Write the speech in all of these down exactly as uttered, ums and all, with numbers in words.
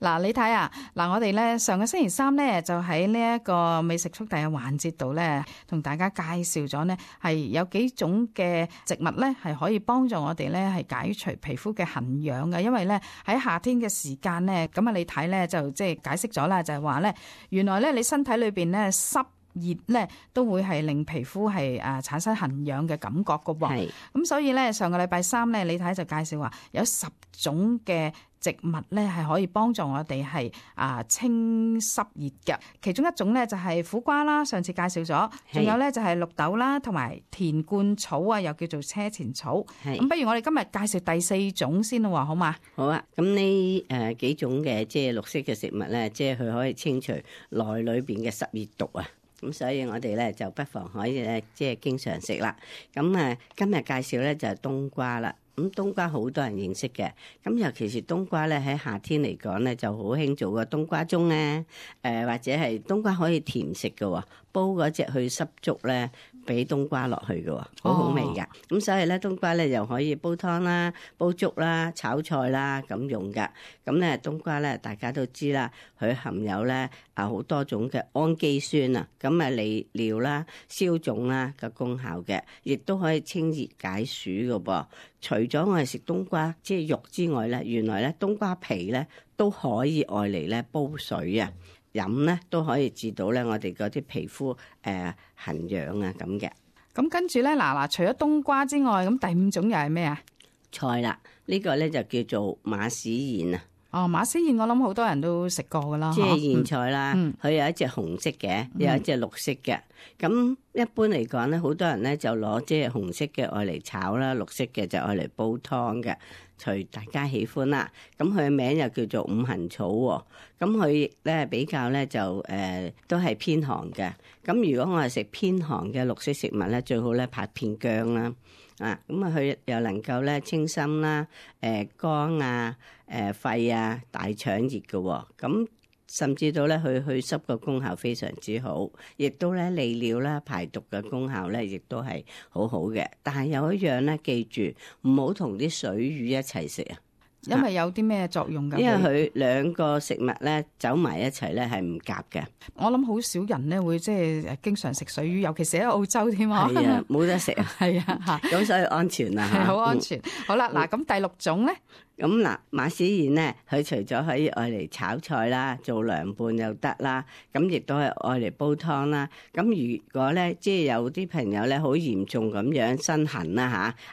嗱，你睇啊，嗱，我哋咧上個星期三咧就喺呢一個美食速遞嘅環節度咧，同大家介紹咗呢係有幾種嘅植物咧係可以幫助我哋咧係解除皮膚嘅痕癢嘅，因為咧喺夏天嘅時間咧，咁啊你睇咧就即係解釋咗啦，就係話咧原來咧你身體裏邊咧濕熱咧都會係令皮膚係誒產生痕癢嘅感覺噶噃，咁所以咧上個禮拜三咧你睇就介紹話有十種嘅植物咧係可以幫助我哋係啊清濕熱嘅，其中一種咧就係苦瓜啦，上次介紹咗，仲有咧就係綠豆啦，同埋田冠草啊，又叫做車前草。咁不如我哋今日介紹第四種先咯，好嘛？好啊，咁呢誒幾種嘅即係綠色嘅食物咧，即係佢可以清除內裏邊嘅濕熱毒啊。咁所以我哋咧就不妨可以咧即係經常食啦。咁啊今日介紹咧就係冬瓜啦。咁冬瓜好多人認識嘅，咁尤其是冬瓜咧喺夏天嚟講咧就好興做個冬瓜盅咧，誒或者係冬瓜可以甜食嘅，煲嗰隻去濕粥咧，俾冬瓜落去嘅，好好味噶。咁、哦、所以咧冬瓜咧又可以煲湯啦、煲粥啦、炒菜啦咁用噶。咁咧冬瓜咧大家都知啦，佢含有咧啊好多種嘅氨基酸啊，咁啊利尿啦、消腫啦嘅功效嘅，亦都可以清熱解暑嘅噃。除咗我哋食冬瓜即係肉之外咧，原來咧冬瓜皮咧都可以愛嚟咧煲水啊，飲咧都可以治到咧我哋嗰啲皮膚誒痕癢啊咁嘅。咁跟住咧嗱嗱，除咗冬瓜之外，咁第五種又係咩啊？菜啦，呢、這個咧就叫做馬屎莧啊。哦，馬屎莧我諗好多人都食過噶啦，即係莧菜啦，佢、嗯、有一隻紅色嘅，有一隻綠色嘅。咁、嗯、一般嚟講咧，好多人咧就攞即係紅色嘅愛嚟炒啦，綠色嘅就愛嚟煲湯嘅，隨大家喜歡啦。咁佢嘅名又叫做五行草喎。咁佢咧比較咧就誒、呃、都係偏寒嘅。咁如果我係食偏寒嘅綠色食物咧，最好咧拍片薑啦。啊，咁啊，佢又能夠咧清心啦，誒、呃、肝啊，誒、呃、肺啊，大腸熱嘅、哦，咁甚至到咧佢去濕嘅功效非常之好，亦都咧利尿啦、排毒嘅功效咧，亦都係好好嘅。但係有一樣咧，記住唔好同啲水魚一齊食啊！因為有啲咩作用㗎？因為佢兩個食物咧走埋一齊咧係唔夾嘅。我諗好少人咧會即係經常食水魚，尤其是喺澳洲添啊。係啊，冇得食啊。係啊，嚇咁所以安全啊。係好安全。嗯、好啦，嗱咁第六種咧。咁嗱，馬屎莧咧，佢除咗可以愛嚟炒菜啦，做涼拌又得啦，咁亦都係愛嚟煲湯啦。咁如果咧，即係有啲朋友咧，好嚴重咁樣身痕啦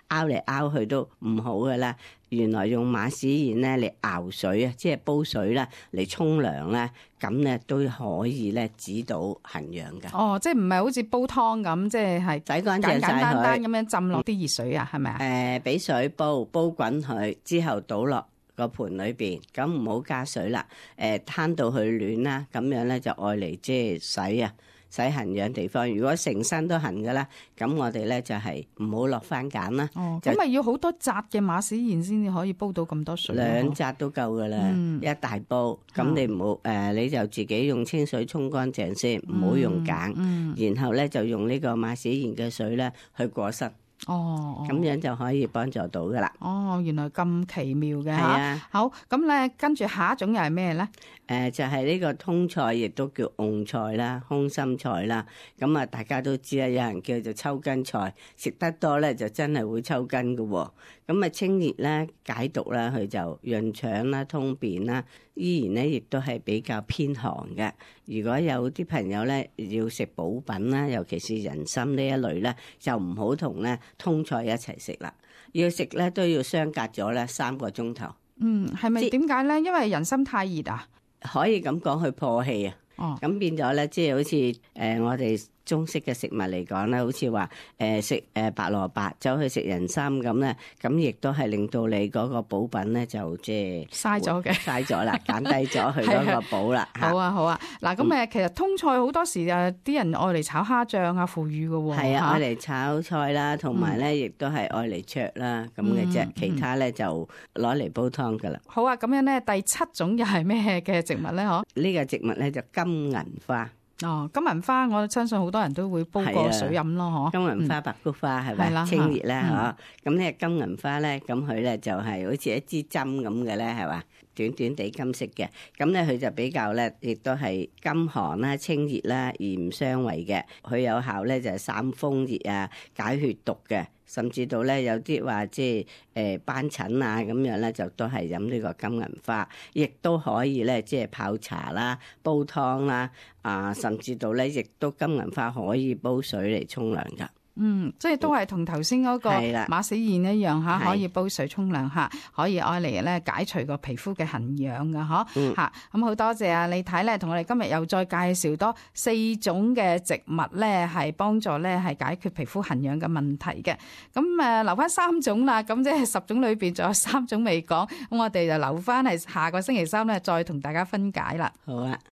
吓，拗嚟拗去都唔好噶啦。原來用馬屎莧咧嚟熬水啊，即係煲水啦，嚟沖涼咧，咁咧都可以咧止到痕癢噶。哦，即係唔係好似煲湯咁，即係係洗乾淨晒佢，簡簡單單咁樣浸落啲熱水啊，係咪啊？誒、呃，俾水煲煲滾佢之後倒落個盤裏邊，咁唔好加水啦。誒、呃，攤到佢暖啦，咁樣咧就愛嚟即係洗啊。洗痕癢地方，如果成身都痕㗎啦，咁我哋咧就係唔好落番梘啦。哦，咁咪要好多紮嘅馬屎莧先至可以煲到咁多水。兩紮都夠㗎啦，嗯、一大煲。咁你唔好誒，你就自己用清水沖乾淨先，唔好用梘。嗯嗯、然後咧就用呢個馬屎莧嘅水咧去過身。哦，咁樣就可以幫助到噶啦。哦，原來咁奇妙嘅。係啊，好，咁咧跟住下一種又係咩咧？誒、呃，就係、是、呢個通菜，亦都叫蕹菜啦、空心菜啦。咁啊，大家都知啦，有人叫做抽筋菜，食得多咧就真係會抽筋噶。咁啊，清熱啦、解毒啦，佢就潤腸啦、通便啦，依然咧亦都係比較偏寒嘅。如果有啲朋友咧要食補品啦，尤其是人參呢一類咧，就唔好同咧通菜一齊食啦。要食咧都要相隔咗咧三個鐘頭。嗯，係咪點解咧？因為人參太熱啊？可以咁講，去破氣啊。哦，咁變咗咧，即係好似誒、呃、我哋中式嘅食物嚟講咧，好似話誒食誒白蘿蔔走去食人參咁咧，咁亦都係令到你嗰個補品咧就即係嘥咗嘅，嘥咗啦，減低咗佢嗰個補啦。好啊好啊，嗱咁誒，其實通菜好多時誒啲人愛嚟炒蝦醬啊、腐乳嘅喎。係啊，愛嚟炒菜啦，同埋咧亦都係愛嚟灼啦咁嘅啫，嗯、其他咧就攞嚟煲湯噶啦。好啊，咁樣咧第七種又係咩嘅植物咧？嗬？呢個植物咧就金銀花。哦，金銀花我相信好多人都會煲過水飲咯，嗬。金銀花、白菊花係咪清熱咧？嗬。咁呢金銀花咧，咁佢咧就係好似一支針咁嘅咧，係嘛？短短地金色嘅，咁咧佢就比較咧，亦都係甘寒啦、清熱啦，而唔傷胃嘅。佢有效咧就係散風熱啊、解血毒嘅，甚至到咧有啲話即係誒斑疹啊咁樣咧，就都係飲呢個金銀花，亦都可以咧即係泡茶啦、煲湯啦啊，甚至到咧亦都金銀花可以煲水嚟沖涼㗎。嗯，即係都係同頭先嗰個馬死燕一樣嚇，可以煲水沖涼嚇，可以愛嚟咧解除個皮膚嘅痕癢㗎嗬嚇。咁好多謝啊李太咧，同我哋今日又再介紹多四種嘅植物咧，係幫助咧係解決皮膚痕癢嘅問題嘅。咁誒留翻三種啦，咁即係十種裏邊仲有三種未講，咁我哋就留翻係下個星期三咧再同大家分解啦。好啊。